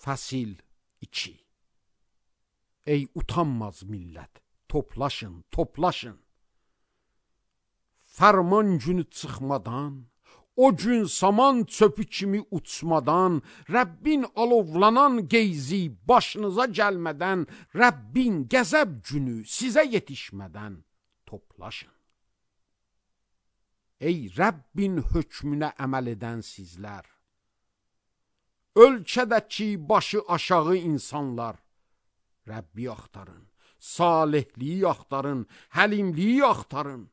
Fəsil 2. Ey utanmaz millət, toplaşın, toplaşın. Fərman günü çıxmadan, o gün saman çöpü kimi uçmadan, Rəbbin alovlanan qeyzi başınıza gəlmədən, Rəbbin qəzəb günü sizə yetişmədən toplaşın. Ey Rəbbin hökmünə əməl edən sizlər, ölkədəki başı aşağı insanlar, Rəbbi axtarın, salihliyi axtarın, həlimliyi axtarın.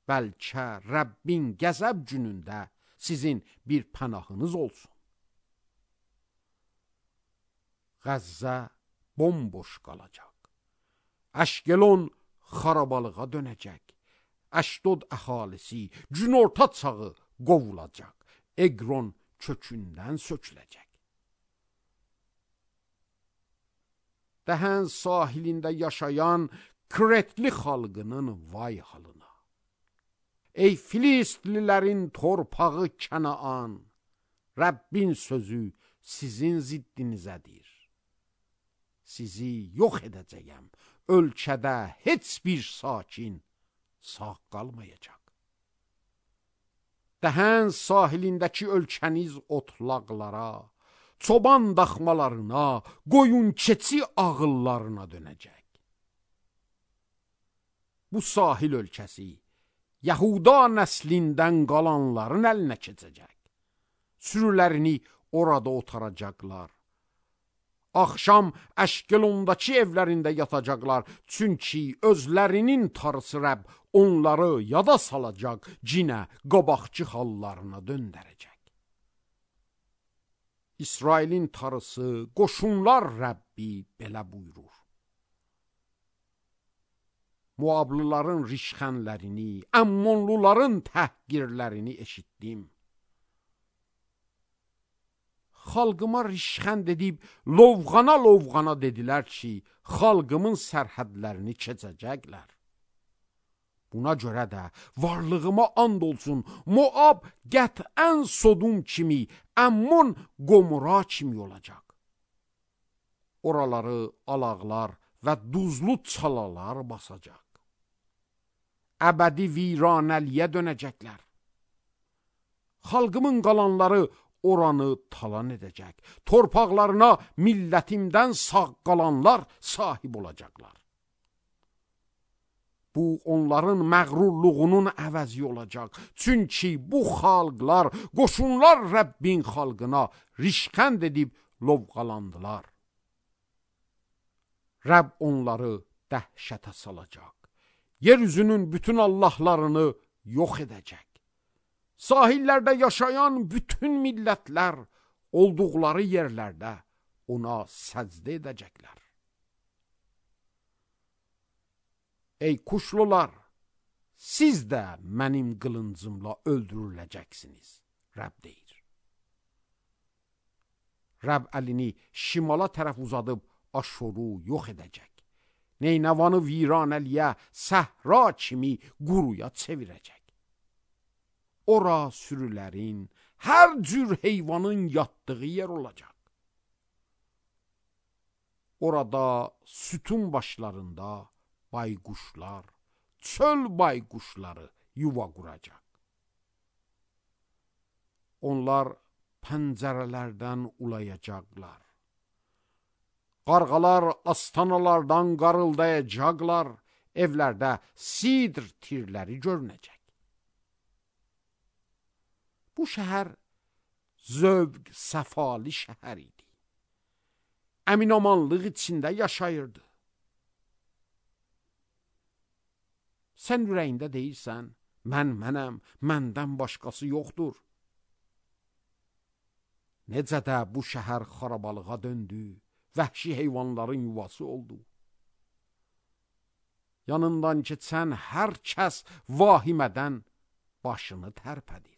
Bəlkə Rəbbin qəzəb günündə sizin bir pənahınız olsun. Qəzzə bomboş qalacaq. Əşkelon xarabalığa dönəcək. Əşdod əhalisi günorta çağı qovulacaq. Eqron kökündən söküləcək. Dəhən sahilində yaşayan Kretli xalqının vay halına. Ey Filistlilərin torpağı Kənaan, Rəbbin sözü sizin ziddinizədir. Sizi yox edəcəyəm, ölkədə heç bir sakin sağ qalmayacaq. Dəhən sahilindəki ölkəniz otlaqlara, çoban daxmalarına, qoyun keçi ağıllarına dönəcək. Bu sahil ölkəsi Yahuda nəslindən qalanların əlinə keçəcək. Sürülərini orada otaracaqlar. Axşam Əşkelondakı evlərində yatacaqlar. Çünki özlərinin tarısı Rəbb onları yada salacaq, cinə, qabaqçı hallarına döndərəcək. İsrailin tarısı, qoşunlar Rəbbi belə buyurur. Muablıların rişxənlərini, Əmmonluların təhqirlərini eşitdim. Xalqıma rişxənd edib, lovğana dedilər ki, xalqımın sərhədlərini keçəcəklər. Buna görə də varlığıma and olsun, Moab qətən Sodum kimi, Əmmon Qomora kimi olacaq. Oraları alaqlar və duzlu çalalar basacaq. Əbədi viranəliyə dönəcəklər. Xalqımın qalanları oranı talan edəcək. Torpaqlarına millətimdən sağ qalanlar sahib olacaqlar. Bu onların məğrurluğunun əvəzi olacaq. Çünki bu xalqlar, qoşunlar Rəbbin xalqına rişxənd edib lovğalandılar. Rəbb onları dəhşətə salacaq. Yeryüzünün bütün allahlarını yox edəcək. Sahillərdə yaşayan bütün millətlər olduqları yerlərdə ona səcdə edəcəklər. Ey kuşlular, siz də mənim qılıncımla öldürüləcəksiniz, Rəbb deyir. Rəbb əlini şimala tərəf uzadıb Aşoru yox edəcək. Neynəvanı viranəliyə, səhra kimi quruya çevirəcək. Ora sürülərin, hər cür heyvanın yatdığı yer olacaq. Orada sütun başlarında bayquşlar, çöl bayquşları yuva quracaq. Onlar pəncərələrdən ulayacaqlar. Qarğalar astanalardan qarıldayacaqlar, evlərdə sidr tirləri görünəcək. Bu şəhər zövq, səfali şəhər idi. Əminamanlıq içində yaşayırdı. Sən ürəyində deyirsən, mənəm, məndən başqası yoxdur. Necə də bu şəhər xarabalığa döndü, vəhşi heyvanların yuvası oldu. Yanından keçən hər kəs vahimədən başını tərpədi.